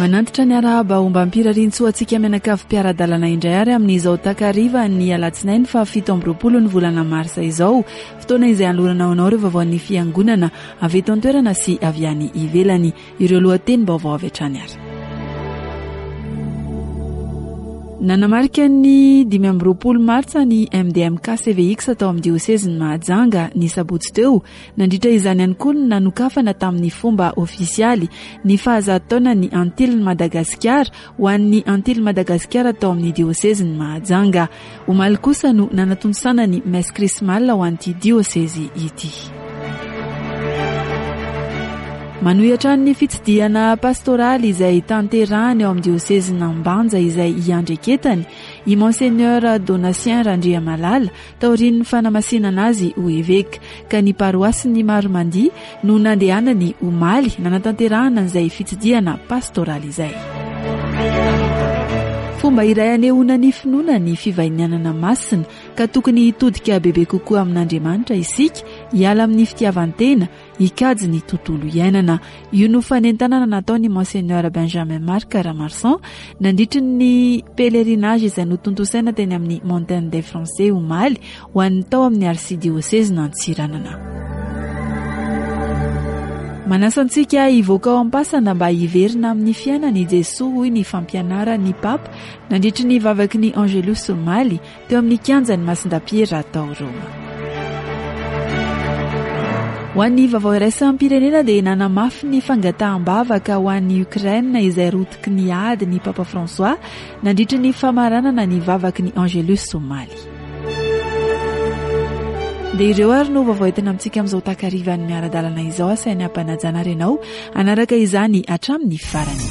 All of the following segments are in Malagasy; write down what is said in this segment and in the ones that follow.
Manantitra ny arahaba ombam-pirariantsoa antsika mianakavy mpiara-dalana indray ary amin'izao takariva ny alatsinainy faha 27 ny volana marsa izao, fotoana izay hanolorana ho anao ireo vaovaon'ny fiangonana avy eto an-toerana sy avy any ivelany. Ireo lohatenim-baovao avy hatrany ary. Nanamarika ny 25 martsa ny MDMK CVX tao amin'ny diosezin'i Mahajanga ny sabotsy teo. Nandritra izany ihany koa no nanokafana tamin'ny fomba ofisialy ny fahazato taonan'ny Antilin'i Madagasikara ho an'ny Antilin'i Madagasikara tao amin'ny diosezin'i Mahajanga. Omaly kosa no nanatontosana ny messe chrismale ho an'ity diosezy ity. Manohy hatrany ny fitsidihana pastoraly izay tanterahany ao amin'ny diosezin'Ambanja izay iandreketany i Monseigneur Donatien Randriamalala taorian'ny fanamasinana azy ho eveka ka ny paroasin'i Maromandia no nandehanany omaly nanatanterahana an'izay fitsidihana pastoraly izay. Fomba iray anehoana ny finoana ny fivahinianana masina ka tokony hitodika bebe kokoa amin'Andriamanitra isika, hiala amin'ny fitiavan-tena, hikajy ny tontolo iainana. Io no fanentanana nataon'i Monseigneur Benjamin Marc Ramarson nandritry ny pèlerinage izay notontosaina teny amin'ny Montagne des Français omaly ho an'ny tao amin'ny arsidiosezin'Antsiranana. Manasa antsika hivoaka ao am-pasana mba hiverina amin'ny fiainana i Jesoa hoy ny fampianaran'ny Papa nandritry ny vavaky ny Angelus omaly teo amin'ny kianjan'i Masindapiera tao Roma. Ho an'ny vaovao iraisam-pirenena dia nanamafy ny fangataham-bavaka ho an'i Ukraine izay rotiky ny ady ny Papa François nandritry ny famaranana ny vavaky ny Angelus omaly. Dia ireo ary no vaovao entina amintsika amin'izao takarivan'ny miara-dalana izao asainy ampanajana ary ianao hanaraka izany hatramin'ny farany.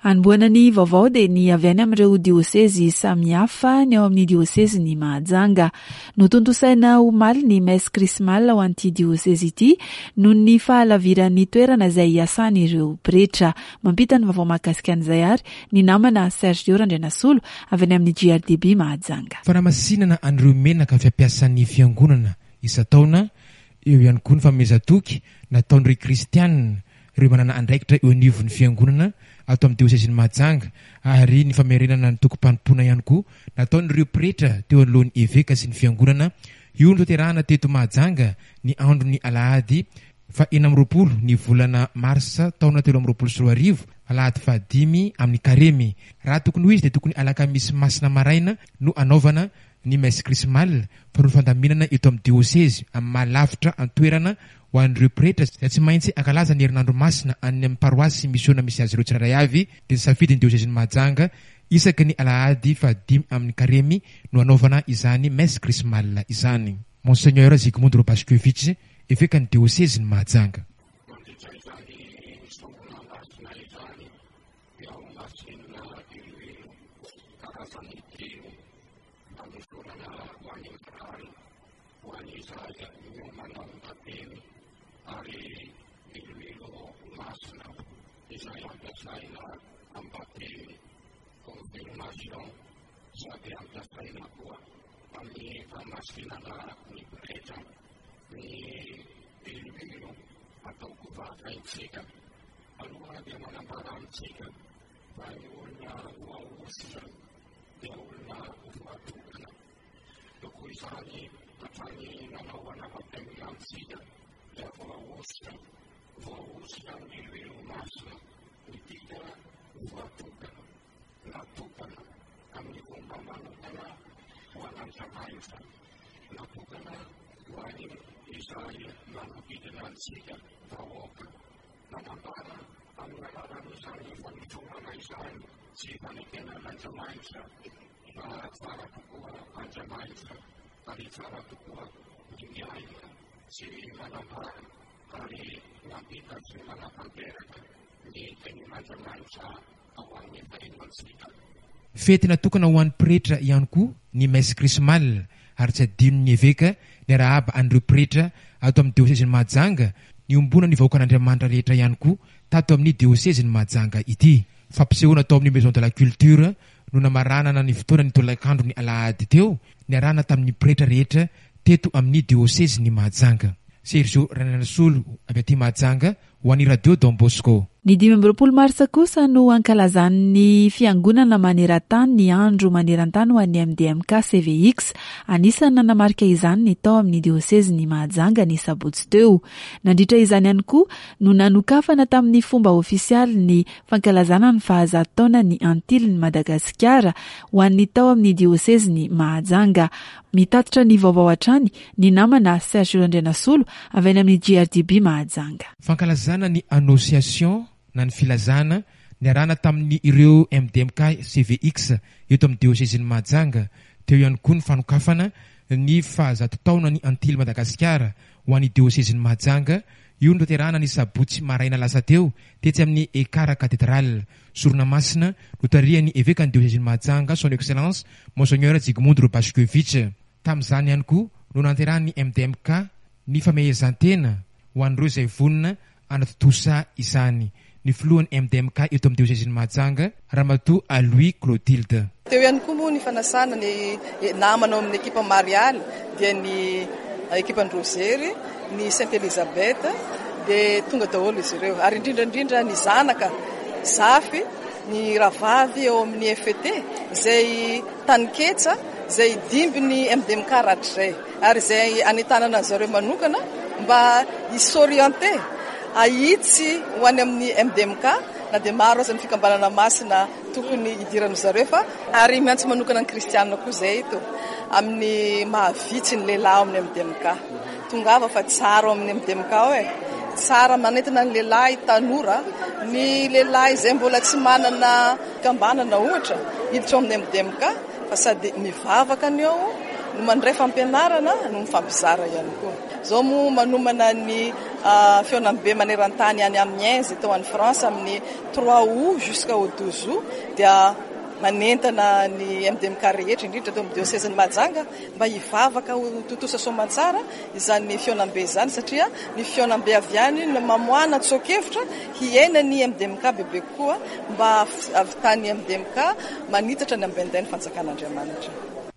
Hanombohana ny vaovao dia ny avy any amin'ireo diosezy samihafa ny ao amin'ny diosezin'i Mahajanga. Notontosaina omaly ny messe chrismale ho an'ity diosezy ity noho ny fahalaviran'ny toerana izay iasan'ireo pretra. Mampita ny vaovao mahakasika an'izay ary ny namana Sergio Randrianasolo avy any amin'ny JRDB Mahajanga. Fanamasinana an'ireo menaka fampiasan'ny fiangonana isan-taona, eo ihany koa ny fanomezan-toky nataon'ireo kristianina, ireo manana andraikitra eo anivon'ny fiangonana ato amin'ny diosezin'i Mahajanga ary ny famerenana ny tokim-panompoana ihany koa nataon'ireo pretra teo anoloan'ny eveka sy ny fiangonana. Io notanterahana teto Mahajanga ny andron'ny alahady faha 26 ny volana marsa taona 2023, alahady fahadimy amin'ny karemy. Raha tokony ho izy dia tokony alakamisy masina maraina no anaovana ny messe chrismale fa noho ny fandaminana eto amin'ny diosezy amin'ny maha lavitra an-toerana ho an'ireo pretra izay tsy maintsy hankalaza ny herinandro masina any amin'ny paroasy sy misiona misy azy ireo tsirairay avy dia nisafidy ny diosezin'i Mahajanga isaky ny alahady fahadimy amin'ny karemy no hanaovana izany messe chrismale izany. Monseigneur Zygmunt Robaszkiewicz, evekan'ny diosezin'i Mahajanga. Mandritra izany sorona masina izany dia ho masinina diloilo karazany telo fanosorana ho an'ny marary, ho an'izay miomana ho batemy ary diloilo masina izay ampiasaina amin'ny batemy, confirmation, sady ampiasaina koa amin'ny famasinana ny pretra. Ny diloilo atao kovakaintsika aloha dia manambara amintsika fa ny olona voahosotra dia olona voatokana. Tokoa izany hatrany nanaovana batemy antsika dia voahosotra, voahosotra amin'ny diloilo masina, midika voatokana, natokana amin'ny fomba manokana ho an'Andriamanitra, natokana ho an'ny izay manodidina antsika vahoaka. Manambara amin'ny alalan'izany fanotromana izany sy fanekena an'Andriamanitra fa tsara tokoa Andriamanitra ary tsara tokoa ny miaina sy manambara ary mampita sy manatanteraka ny tenin'Andriamanitra ao amin'ny fiainantsika. Fety natokana ho an'ny pretra ihany koa ny messe chrismale ary tsy adinon'ny eveka niarahaba an'ireo pretra ato amin'ny diosezin'i Mahajanga niombonan'ny vahoakan'Andriamanitra rehetra ihany koa tato amin'ny diosezin'i Mahajanga ity. Fampisehoana tao amin'ny Maison de la Culture. no namaranana ny fotoana ny tolakandro ny alahady teo niarahana tamin'ny pretra rehetra teto amin'ny diosezin'i Mahajanga. Sergio Randrianasolo avy aty Mahajanga ho an'ny Radio Don Bosco. Ny 25 marsa kosa no ankalazan'ny Fiangonana maneran-tany ny Andro maneran-tany ho an'ny MDMK CVX. Anisan'ny nanamarika izany ny tao amin'ny diosezin'i Mahajanga ny sabotsy teo. Nandritra izany ihany koa no nanokafana tamin'ny fomba ofisialy ny fankalazana ny fahazato taonan'ny Antilin'i Madagasikara ho an'ny tao amin'ny diosezin'i Mahajanga. Mitatitra ny vaovao hatrany ny namana Serge Randrianasolo avy any amin'ny JRDB Mahajanga. Fankalazana ny Annonciation na ny filazana niarahana tamin'ny ireo MDMK CVX eto amin'ny diosezin'i Mahajanga. Teo ihany koa ny fanokafana ny fahazato taonan'ny Antily Madagasikara ho an'ny diosezin'i Mahajanga. Io notanterahana ny sabotsy maraina lasa teo tetsy amin'ny Ekar Cathedral. Sorona masina notarihan'ny evekan'ny diosezin'i Mahajanga Son Excellence Monseigneur Zygmunt Robaszkiewicz. Tamin'izany ihany koa no nanterahan'ny MDMK ny famehezan-tena ho an'ireo izay vonona hanatontosa izany. Ny filohan'ny MDMK eto amin'ny diosezin'i Mahajanga, Ramatoa Alois Clotilde. Teo ihany koa moa ny fanasana ny namana ao amin'ny ekipa Marialy dia ny ekipan-dRozery, ny Sainte Elisabeth dia tonga daholo izy ireo ary indrindra indrindra ny zanaka zafy, ny rahavavy ao amin'ny FET izay taninketsa izay dimby ny MDMK rahatrizay ary izay anentanana an'i zareo manokana mba hi-s'orienter, hahitsy ho any amin'ny MDMK na dia maro aza ny fikambanana masina tokony hidiran-dry zareo fa ary miantso manokana ny kristianina koa izay eto amin'ny maha vitsy ny lehilahy ao amin'ny MDMK. Tongava fa tsara ao amin'ny MDMK ao e! Tsara manentana ny lehilahy tanora, ny lehilahy izay mbola tsy manana fikambanana ohatra hiditra ao amin'ny MDMK fa sady mivavaka ny ao no mandray fampianarana no mifampizara ihany koa. Izao moa manomana ny fihaonambe maneran-tany any Amiens izay atao any France amin'ny trois août jusqu'au 12 août dia manentana ny MDMK rehetra indrindra eto amin'ny diosezin'i Mahajanga mba hivavaka ho tontosa soamantsara izany fihaonambe izany satria ny fihaonambe avy any no mamoahana tsoa-kevitra hiaina ny MDMK bebe kokoa mba hahavitan'ny MDMK manitatra ny ambenday ny fanjakan'Andriamanitra.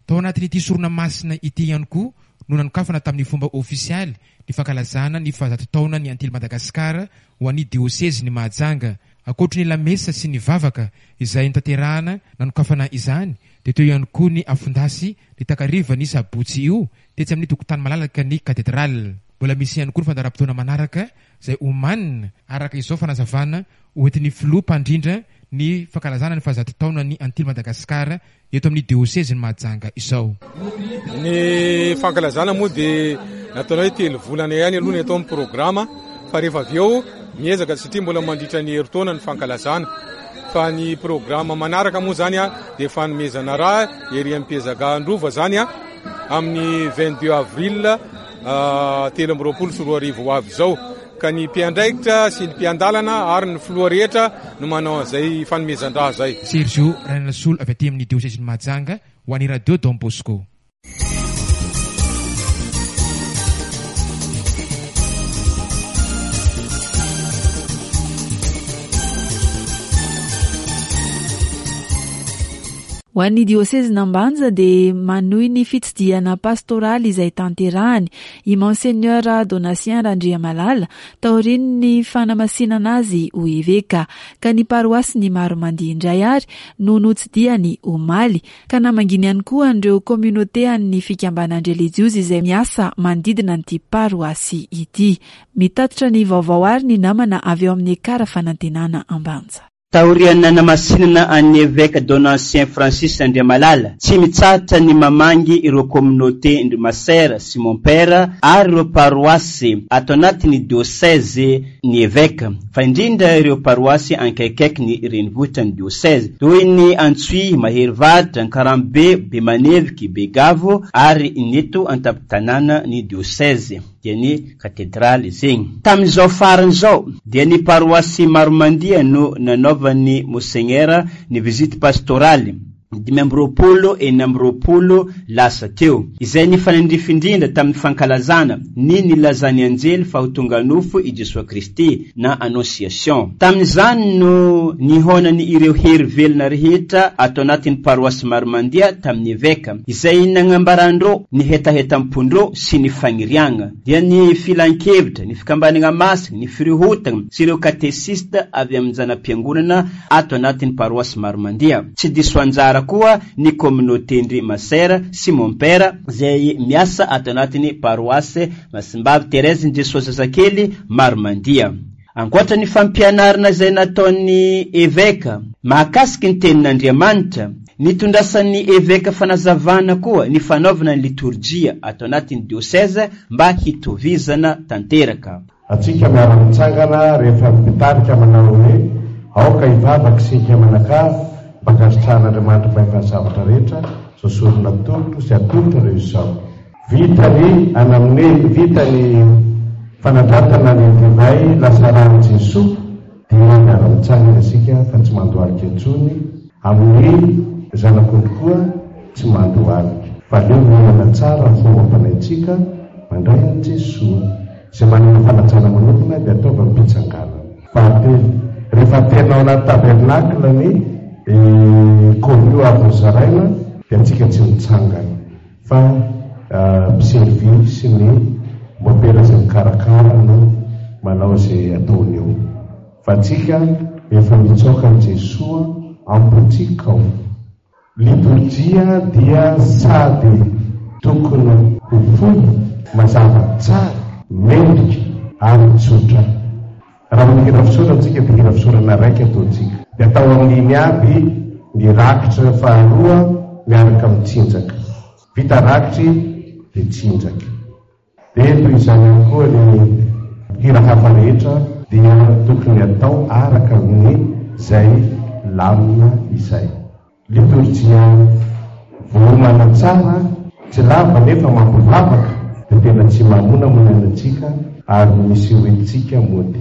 Tao anatin'ity sorona masina ity ihany koa no nanokafana tamin'ny fomba ofisialy ny fankalazana ny fahazato taonan'ny Antily Madagasikara ho an'ny diosezin'i Mahajanga. Ankoatry ny lamesa sy ny vavaka izay notanterahana nanokafana izany dia teo ihany koa ny afon-dasy ny takarivan'ny sabotsy io tetsy amin'ny tokotany malalaka ny Cathedrale. Mbola misy ihany koa ny fandaharam-potoana manaraka izay omanina, araka izao fanazavana hoentin'ny filoha mpandrindra ny fankalazana ny fahazato taonan'ny Antily Madagasikara eto amin'ny diosezin'i Mahajanga izao. Ny fankalazana moa dia nataonay hoe 3 volana ihany aloha ny atao amin'ny programa fa rehefa avy eo miezaka satria mbola mandritra ny herintaona ny fankalazana. Fa ny programa manaraka moa zany dia fanomezana ra ery amin'ny Mpiezaka Androva zany amin'ny 22 avril 2023 ho avy izao. Ka ny mpiandraikitra sy ny mpiandalana ary ny filoha rehetra no manao an'izay fanomezan-dra izay. Sergio Rainanasolo avy aty amin'ny diosezin'i Mahajanga ho an'ny Radio Don Bosco. Ho an'ny diosezin'Ambanja dia manohy ny fitsidihana pastoraly izay tanterahany i Monseigneur Donatien Randriamalala taorian'ny fanamasinana azy ho eveka, ka ny paroasin'i Maromandia indray ary no notsidihany omaly, ka namanginy ihany koa an'ireo communauté an'ny fikambanan-drelijiozy izay miasa manodidina an'ity paroasy ity. Mitatitra ny vaovao ary ny namana avy ao amin'ny Ekara Fanantenana Ambanja. Taorian'ny nanamasinana an'ny Eveka Donatien Francis Andriamalala, tsy mitsahatra ny mamangy ireo communauté ndry Masera sy Mompera ary ireo paroasy ato anatin'ny dioseze ny Eveka, fa indrindra ireo paroasy ankaikaiky ny renivohitra ny dioseze, toy ny Antsohihy, Maherivaritra, Ankarambe, Bemaneviky, Begavo ary ny eto an-tampon-tanàna ny dioseze. dia ny katedraly zegny. Tamin'izao farany izao dia ny paroasy Maromandia no nanaovan'ny Mosegnera ny visite pastoraly. 25 26 lasa teo, izay nifanandrify indrindra tamin'ny fankalazana ny nilazan'ny anjely fa ho tonga nofo i Jesoa Kristy na Annonciation. Tamin'izany no nihaonany ireo hery velona rehetra ato anatin'ny paroasy Maromandia tamin'ny eveka, izay nagnambarandreo ny hetahetam-pondreo sy ny fagniriagna, dia ny filankevitra, ny fikambanagna masina, ny firehotagna sy ireo katesista avy amin'ny zana-piangonana ato anatin'ny paroasy Maromandia. Tsy diso anjara koa ny communauté-ndry Masera sy Mompera izay miasa ato anatin'ny paroasy Masimbavy Thérèse-n'i Jesoa Zazakely Maromandia. Ankoatra ny fampianarana izay nataon'ny eveka mahakasiky ny tenin'Andriamanitra, nitondrasan'ny eveka fanazavana koa ny fanaovana ny litorjia ato anatin'ny dioseze mba hitovizana tanteraka. Antsika miara-mitsangana rehefa ny mpitarika manao hoe, Aoka hivavaka isika mianakavy mba hankasitrahan'Andriamanitra Mpahefa ny zavatra rehetra izao sorona atolotro sy atolotrareo izao. Vita ny anamne, vita ny fanandratana ny divay lasa ran'i Jesoa dia miara-mitsangana isika fa tsy mandohalika intsony, amin'ny zanak'ondry koa tsy mandohalika fa aleo miomana tsara ny fomba fanaintsika mandray an'i Jesoa. Izay manana fanajana manokana dia ataovy am-pitsanganana. Fahatelo, rehefa aterina ao anaty tabernacle ny communion avy nozaraina dia antsika tsy mitsangana fa mpiservy sy ny mopera izay mikarakara no manao izay ataony eo. Fa antsika efa mitsaoka an'i Jesoa am-pontsika ao. Litorjia dia sady tokony ho fohy, mazava tsara, mendrika ary tsotra. Raha manao hira fisaorana tsika dia hira fisaorana raika ataontsika. Dia atao amin'iny aby ny rakitra faharoa miaraka amin'ny tsinjaka. Vita rakitry dia tsinjaka. Dia toy izany ihany koa ny hira hafa rehetra dia tokony atao araka ny izay lamina izay. Litorjia voaomana tsara, tsy lava nefa mampivavaka dia tena tsy mamonamonana antsika ary misy hoentintsika mody.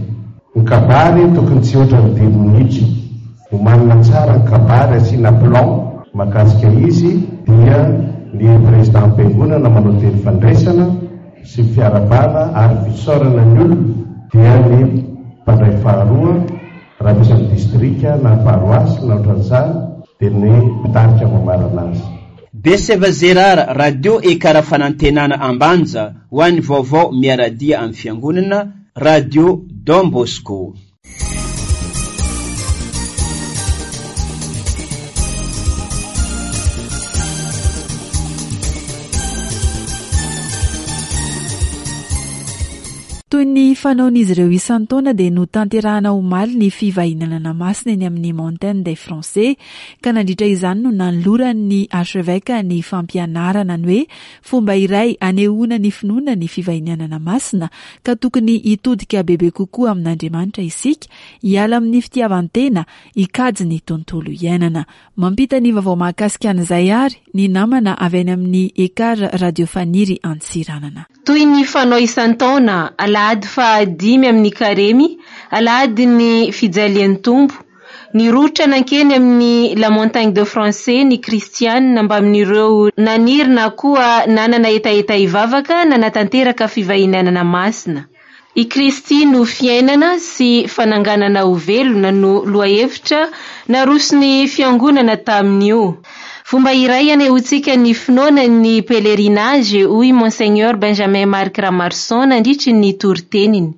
Ny kabary tokony tsy hihoatra ny dimy minitra. Omanina tsara ny kabary asiana plan makasika izy dia ny président mpiangonana manao teny fandraisana sy fiarabana ary fisaorana ny olona dia ny mpandray faharoa raha misy amin'ny distrika na paroasy na ohatran'izany dia ny mpitarika mamarana azy. Beseva Gérard, Radio Ekara Fanantenana Ambanja, ho an'ny vaovao miara-dia amin'ny Fiangonana, Radio Don Bosco. Toy ny fanaon'izy ireo isan-taona dia notanterahana omaly ny fivahinanana masina eny amin'ny Montagne des Français ka nandritra izany no nanoloran'ny Archevêque ny fampianarana ny hoe fomba iray anehoana ny finoana ny fivahinianana masina ka tokony hitodika bebe kokoa amin'Andriamanitra isika, hiala amin'ny fitiavan-tena, hikajy ny tontolo iainana. Mampita ny vaovao mahakasika an'izay àry ny namana avy any amin'ny Ekar Radio Faniry Antsiranana. Toy ny fanao isan-taona, alahady fahadimy amin'ny Karemy, alahadin'ny Fijalian'ny Tompo, Nirohotra nankeny amin'ny La Montagne de Français ny kristianina mbamin'ireo naniry na koa nanana hetaheta hivavaka nanatanteraka fivahinianana masina. I Kristy no fiainana sy fananganana ho velona no lohahevitra naroson'ny Fiangonana tamin'io. Fomba iray hanehoantsika ny finoana ny pèlerinage hoy Monseigneur Benjamin Marc Ramaroson nandritry ny toriteniny.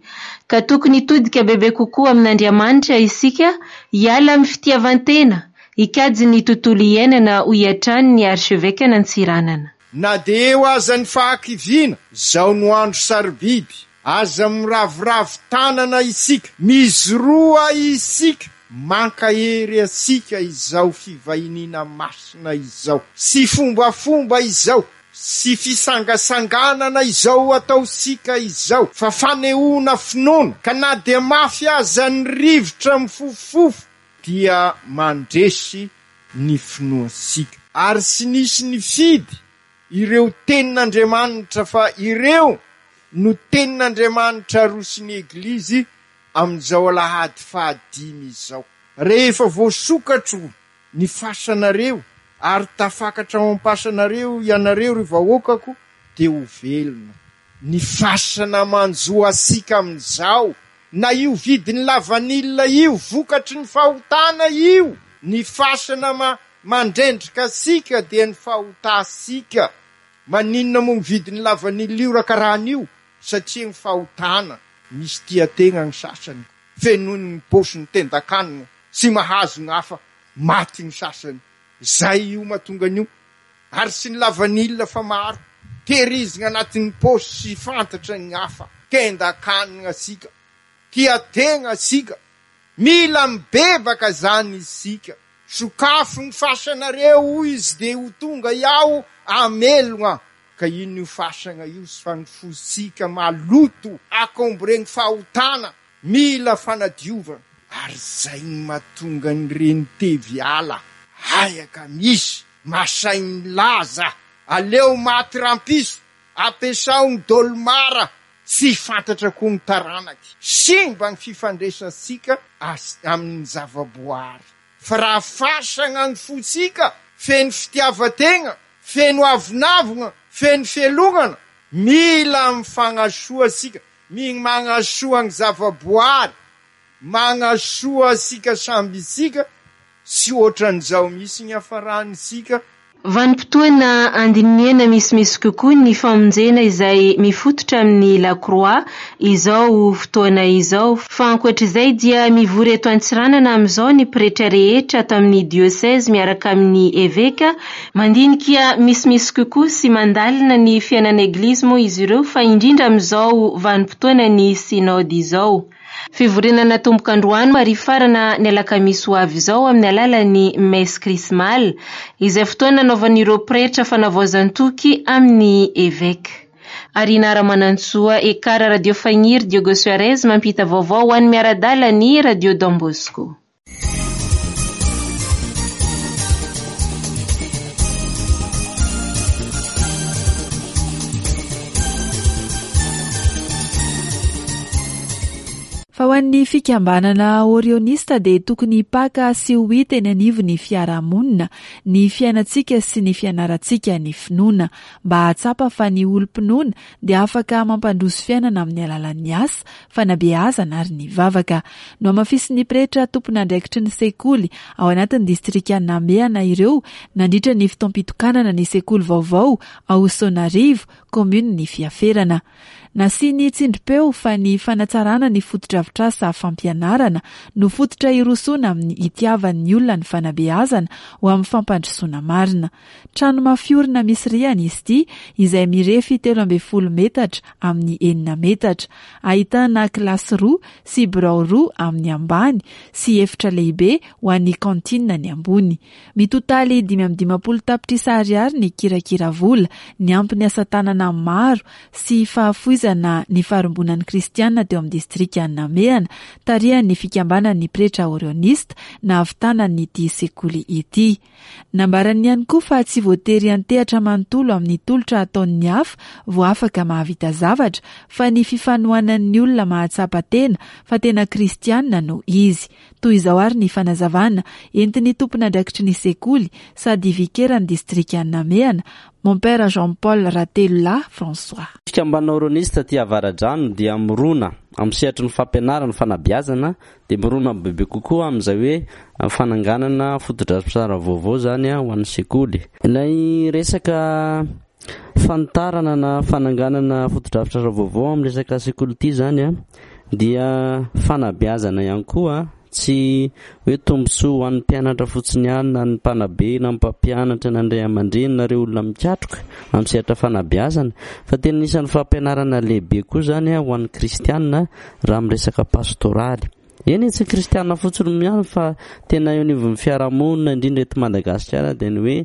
Ka tokony hitodika bebe kokoa amin'Andriamanitra isika, hiala amin'ny fitiavan-tena, hikajy ny tontolo iainana hoy hatrany ny Archeveque-n'Antsiranana. Na dia eo aza ny fahakiviana, izao no andro sarobidy, aza miraviravy tanana isika, mizoroa isika, mankahery antsika izao fivahiniana masina izao sy fombafomba izao, sy fisangasanganana izao ataontsika izao fa fanehoana finoana ka na dia mafy aza ny rivotra mifofofofo dia mandresy ny finoantsika. Ary tsy nisy nifidy ireo tenin'Andriamanitra fa ireo no tenin'Andriamanitra aroson'ny Eglizy amin'izao alahady fahadimy izao. Rehefa voasokatro ny fasanareo. ary tafakatra ao am-pasanareo ianareo, ry vahoakako, dia ho velona. Ny fasana manjo antsika amin'izao, na io vidin'ny lavanila io, vokatry ny fahotana io, ny fasana ma mandrendrika antsika dia ny fahotantsika. Maninona moa ny vidin'ny lavanila io raha karaha an'io? Satria ny fahotana, misy tia tegna ny sasany, fenoiny ny paosiny tendakanina, tsy mahazo ny hafa, maty ny sasany. Zay io mahatonga an'io. Ary tsy ny lavanila fa maro. Tehirizina anatin'ny paosy sy fantatra ny hafa. Tendakanina tsika. Tia tegna tsika. Mila mibebaka zany isika. Sokafo ny fasanareo hoy izy dia ho tonga iaho hamelogna. Ka inona io fasagna io sy fa ny fotsika maloto akombregny fahotana. Mila fanadiovana. Ary zay no mahatonga an'ireny tevy ala hayaka misy masay milaza aleo maty rampiso ampiasao ny dolmara tsy fantatra koa ny taranaky simba ny fifandraisantsika amin'ny zavaboary fa raha fasagna ny fotsika feno fitiavategna feno avonavogna feno fialonana mila mifagnasoa tsika Migny magnasoa ny zavaboary, magnasoa antsika samby isika, tsy ohatran'izao mihitsy ny hafarantsika. Vanim-potoana andinihana misimisy kokoa ny famonjena izay mifototra amin'ny Lakroa izao fotoana izao. Fa ankoatr'izay dia mivory eto Antsiranana amin'izao ny pretra rehetra ato amin'ny diosezy miaraka amin'ny eveka Mandinika misimisy kokoa sy mandalina ny fiainana Eglizy moa izy ireo fa indrindra amin'izao vanim-potoanan'ny Synoda izao. Fivoriana natomboka androany ary hifarana ny alakamisy ho avy izao amin'ny alalan'ny Messe Chrismale, izay fotoana nanaovan'ireo pretra fanavaozan-toky amin'ny Eveka. Arina Ramanantsoa, Ekar Radio Fagniry, Diogo Suarez mampita vaovao ho an'ny miara-dala ny Radio Don Bosco. Fa ho an'ny fikambanana Orionista dia tokony hipaka sy ho hita eny anivon'ny fiarahamonina ny fiainantsika sy ny fianarantsika ny finoana mba hahatsapa fa ny olom-pinoana dia afaka mampandroso fiainana amin'ny alalan'ny asa, fanabeazana ary ny vavaka. Nohamafisin'ny pretra tompon'andraikitry ny sekoly ao anatin'ny distrikan'i Namehana ireo nandritra ny fotoam-pitokanana ny sekoly vaovao ao Soanarivo, kaominin'i Fiaferana. Nasiany tsindrim-peo fa ny fanatsarana ny fotodrafitrasa fampianarana no fototra hirosoana amin'ny hitiavan'ny olona ny fanabeazana ho amin'ny fampandrosoana marina. Trano mafiorina misy rihana izy ity izay mirefy 13 metatra amin'ny enina metatra. Ahitana kilasy roa sy birao roa amin'ny ambany sy efitra lehibe ho an'ny cantine ny ambony. Mitotaly 55 tapitrisa ariary ny kirakira vola, niampy ny asa tanana maro sy fahafoizana ny farimbonan'ny kristiana teo amin'ny distrikan'i Namehana, tarihan'ny fikambanan'ny pretra orionista nahavitana an'ity sekoly ity. Nambarany ihany koa fa tsy voatery hiantehatra manontolo amin'ny tolotra ataon'ny hafa vao afaka mahavita zavatra fa ny fifanohanan'ny olona mahatsapa tena fa tena kristiana no izy. Toy izao ary ny fanazavana entin'ny tompon'andraikitry ny sekoly sady vikeran'ny distrikan'i Namehana, Mompera Jean Paul Ratelolahy François. Fikambanana Oronista aty Avaradrano dia mirona amin'ny sehatry ny fampianarana, fanabeazana Dia mirona bebe kokoa amin'izay hoe fananganana fotodrafitrasa vaovao izany ho an'ny sekoly. Ilay resaka fanitarana na fananganana fotodrafitrasa vaovao amin'ny resaka sekoly ity izany dia fanabeazana ihany koa, tsy hoe tombontsoa ho an'ny mpianatra fotsiny ihany na ny mpanabe na ny mpampianatra na ny ray aman-dreny na ireo olona mikatroka amin'ny sehatra fanabeazana fa tena anisan'ny fampianarana lehibe koa izany ho an'ny kristiana raha amin'ny resaka pastoraly. Eny e, tsy kristiana fotsiny ihany fa tena eo anivon'ny fiarahamonina indrindra eto Madagasikara dia ny hoe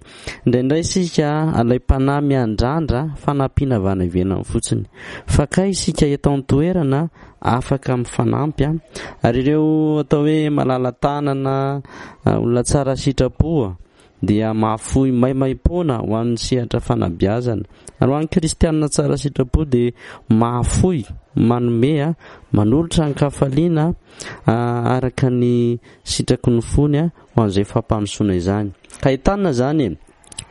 indraindray isika alaim-panahy miandrandra fanampiana avy any ivelany fotsiny. Fa kay isika eto an-toerana afaka mifanampy ary ireo atao hoe malala-tanana, olona tsara sitrapo dia mahafoy maimaimpoana ho an'ny sehatra fanabeazana. Ary ho an'ny kristianina tsara sitrapo dia mahafoy, manome, manolotra an-kafaliana araka ny sitraky ny fony ho an'izay fampandrosoana izany. Ka entanina izany e!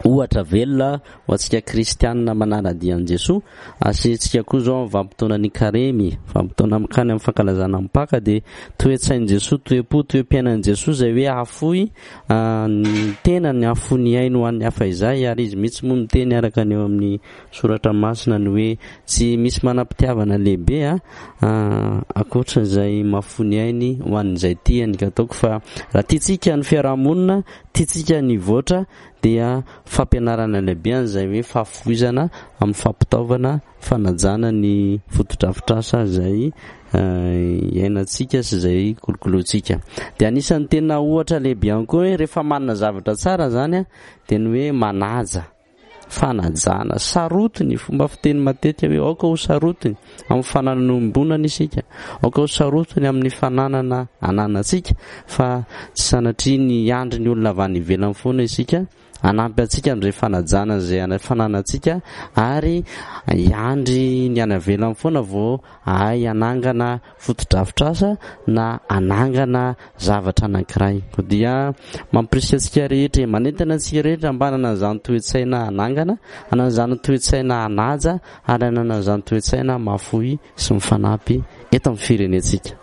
Ohatra velona ho antsika kristianina manara-dia an'i Jesoa, asehintsika koa izao amin'ny vanim-potoanan'ny Karemy, vanim-potoana mankany amin'ny fankalazana ny Paka dia toe-tsain'i Jesoa, toe-po, toe-piainan'i Jesoa izay hoe hahafoy ny tenany, hahafoy ny ainy ho an'ny hafa izay ary izy mihitsy moa miteny araka ny eo amin'ny soratra masina ny hoe tsy misy manam-pitiavana lehibe ankoatra izay mahafoy ny ainy ho an'izay tiany ka ataoko fa raha tiantsika ny fiaraha-monina Tiantsika ny hivoatra dia fampianarana lehibe an'izay hoe fahafoizana amin'ny fampitaovana, fanajana ny fotodrafitrasa izay iainantsika sy izay kolokolointsika. Dia anisan'ny tena ohatra lehibe ihany koa hoe rehefa manana zavatra tsara izany dia ny hoe manaja. Fanajana. Sarotiny, fomba fiteny matetika hoe aoka ho sarotiny amin'ny fananana iombonana isika, aoka ho sarotiny amin'ny fananana ananantsika fa tsy sanatria ny hiandry ny olona avy any ivelany foana isika hanampy antsika amin'izay fanajana izay fananantsika ary hiandry ny any ivelany foana vao hahay hanangana fotodrafitrasa na hanangana zavatra anankiray. Koa dia mampirisika antsika rehetra, manentana antsika rehetra mba hanana an'izany toe-tsaina hanangana, hanana izany toe-tsaina hanaja ary hanana izany toe-tsaina mahafoy sy mifanampy eto amin'ny firenentsika.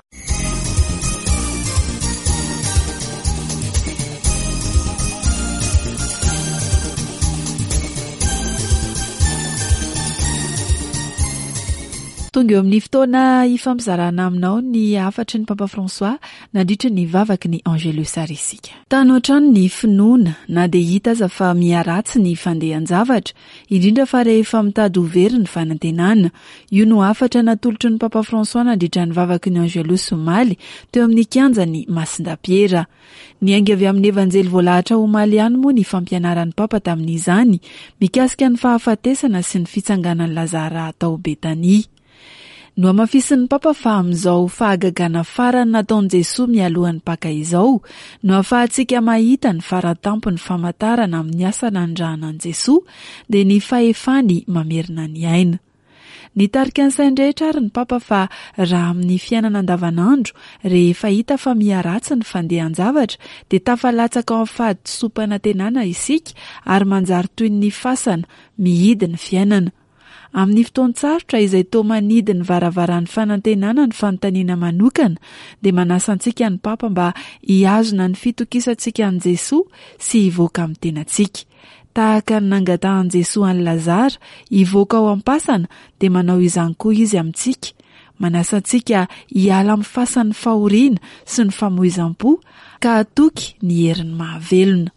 Tonga eo amin'ny fotoana hifampizarana aminao ny hafatry ny Papa François nandritra ny vavaky ny Angelus ary isika. Tano hatrany ny finoana na dia hita aza fa miharatsy ny fandehan-javatra, indrindra fa rehefa mitady ho very ny fanantenana. Io no hafatra natolotry ny Papa François nandritra ny vavaky ny Angelus omaly teo amin'ny kianjan'i Masindapiera. Niainga avy amin'ny Evanjely voalahatra omaly ihany moa ny fampianaran'ny Papa tamin'izany, mikasika ny fahafatesana sy ny fitsanganan'i Lazara tao Betania. Nohamafisin'ny Papa fa amin'izao fahagagana farany nataon'i Jesoa mialohan'ny Paka izao no ahafahantsika mahita ny faratampon'ny famantarana amin'ny asa nanirahana an'i Jesoa, dia ny fahefany mamerina ny aina. Nitarika ny sain-drehetra ary ny Papa fa raha amin'ny fiainana andavanandro, rehefa hita fa miha-ratsy ny fandehan-javatra, dia tafalatsaka ao amin'ny fahadisoam-panantenana isika ary manjary toy ny fasana, mihidy ny fiainana. Amin'ny fotoan-tsarotra izay toa manidy ny varavaran'ny fanantenana ny fanontaniana manokana, dia manasa antsika ny Papa mba hihazona ny fitokisantsika an'i Jesoa sy hivoaka amin'ny tenantsika. Tahaka ny nangatahan'i Jesoa an'i Lazara hivoaka ao am-pasana dia manao izany koa Izy amintsika, manasa antsika hiala amin'ny fasan'ny fahoriana sy ny famoizam-po ka hatoky ny heriny mahavelona.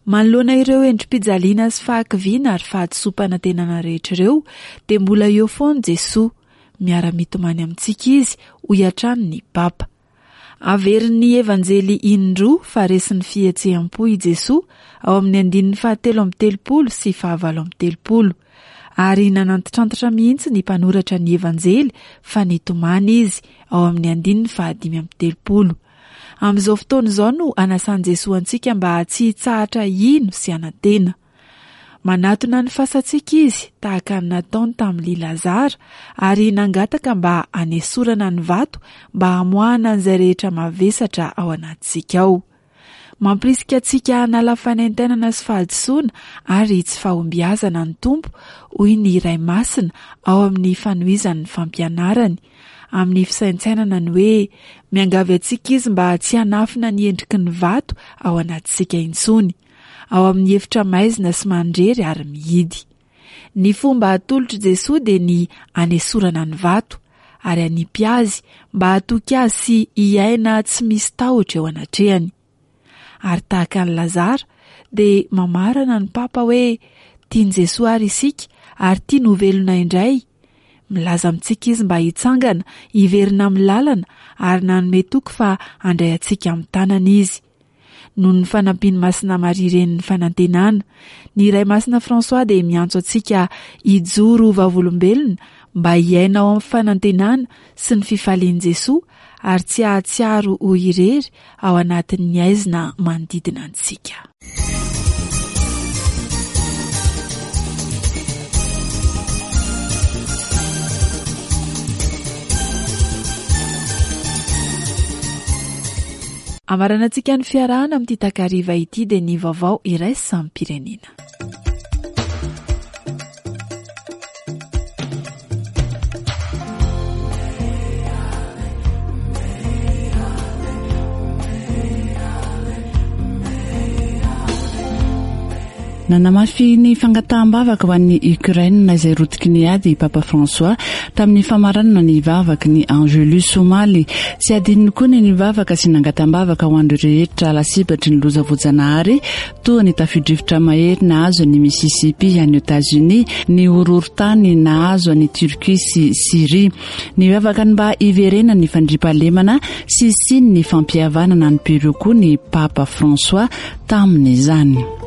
Manoloana ireo endri-pijaliana sy fahakiviana ary fahadisoam-panantenana rehetra ireo dia mbola eo foana Jesoa, miara-mitomany amintsika Izy, hoy hatrany ny Papa. Averin'ny Evanjely indroa fa resin'ny fihetseham-po i Jesoa ao amin'ny andininy fahatelo amby telopolo sy fahavalo amby telopolo. Ary nanantitrantitra mihitsy ny mpanoratra ny Evanjely fa nitomany izy ao amin'ny andininy fahadimy amby telopolo. Amin'izao fotoana izao no anasan'i Jesoa antsika mba tsy hitsahatra hino sy hanantena. Manatona ny fasantsika izy, tahaka ny nataony tamin'i Lazara, ary nangataka mba hanesorana ny vato mba hamoahana an'izay rehetra mavesatra ao anatintsika ao. Mampirisika antsika hanala fanaintainana sy fahadisoana ary tsy fahombiazana ny Tompo, hoy ny Ray Masina ao amin'ny fanohizany ny fampianarany, amin'ny fisaintsainana ny hoe miangavy antsika izy mba tsy hanafina ny endriky ny vato ao anatintsika intsony. ao amin'ny efitra maizina sy mandrery ary mihidy. Ny fomba atolotr'i Jesoa dia ny hanesorana ny vato ary hanipy azy mba hatoky azy sy hiaina tsy misy tahotra eo anatrehany. Ary tahaka an'i Lazara dia mamarana ny Papa hoe tian'i Jesoa ary isika ary tiany ho velona indray. Milaza amintsika izy mba hitsangana, hiverina amin'ny lalana ary nanome toky fa handray antsika amin'ny tanany izy. Noho ny fanampian'i Masina Maria Renin'ny Fanantenana, ny Ray Masina François dia miantso antsika hijoro ho vavolombelona mba hiaina ao amin'ny fanantenana sy ny fifalian'i Jesoa ary tsy hahatsiaro ho irery ao anatin'ny haizina manodidina antsika. Amaranantsika ny fiarahana amin'ity takariva ity dia ny vaovao iraisam-pirenena. Nanamafy ny fangataham-bavaka ho an'i Ukraine izay rotiky ny ady i Papa François tamin'ny famaranana ny vavaky ny Angelus omaly. Tsy adinony koa ny nivavaka sy nangatam-bavaka ho an'ireo rehetra lasibatry ny loza voajanahary toa ny tafio-drivotra mahery nahazo an'i Mississippi any Etazonia, ny horohorontany nahazo an'i Turquie sy Syrie. Nivavaka ny mba hiverenan'ny fandriampahalemana sy hisian'ny fampihavanana any Peru koa ny Papa François tamin'izany.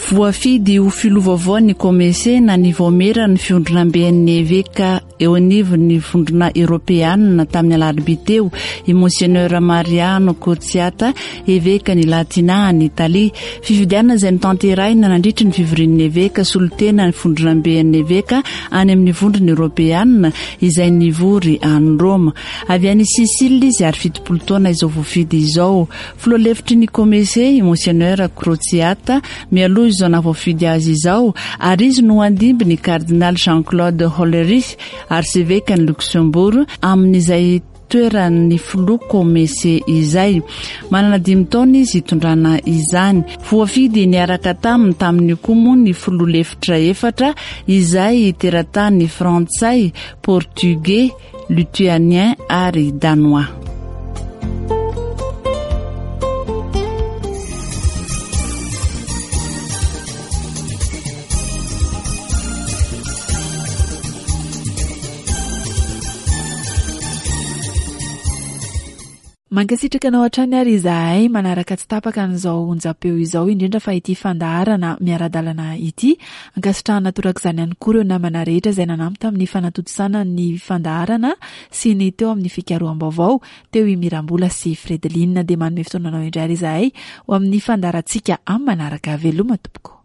Voafidy ho filoha vaovao ny Comece na ny Vaomieran'ny Fivondronamben'ny Eveka eo anivon'ny Vondrona Eoropeanina tamin'ny alarobia teo i Monseigneur Mariano Crociata, Evekan'i Latina any Italia. Fifidianana izay notanterahina nandritry ny fivorian'ny Eveka solontena ny Fivondronamben'ny Eveka any amin'ny Vondrona Eoropeanina izay nivory any Roma. Avy any Sicile izy ary 70 taona izao voafidy izao. Filoha lefitry ny Comece, i Monseigneur Crociata, mialoha izao nahavoafidy azy izao, ary izy no handimby ny Kardinaly Jean-Claude Hollerich, Arsevekan'i Luxembourg, amin'izay toeran'ny filoha Comece izay. Manana dimy taona izy hitondrana izany. Voafidy niaraka taminy tamin'io koa moa ny filoha lefitra efatra izay teratany frantsay, portugais, Lituanien ary Danois. Mankasitraka anao hatrany ary izahay manaraka tsy tapaka an'izao onjam-peo izao indrindra fa ity fandaharana miara-dalana ity. Ankasitrahana torak'izany ihany koa ireo namana rehetra izay nanampy tamin'ny fanatontosana ny fandaharana sy ny teo amin'ny fikaroham-baovao, teo i Mirambola sy Fredeline. Dia manome fotoana anao indray ary izahay ho amin'ny fandaharantsika amin'ny manaraka. Veloma tompoko.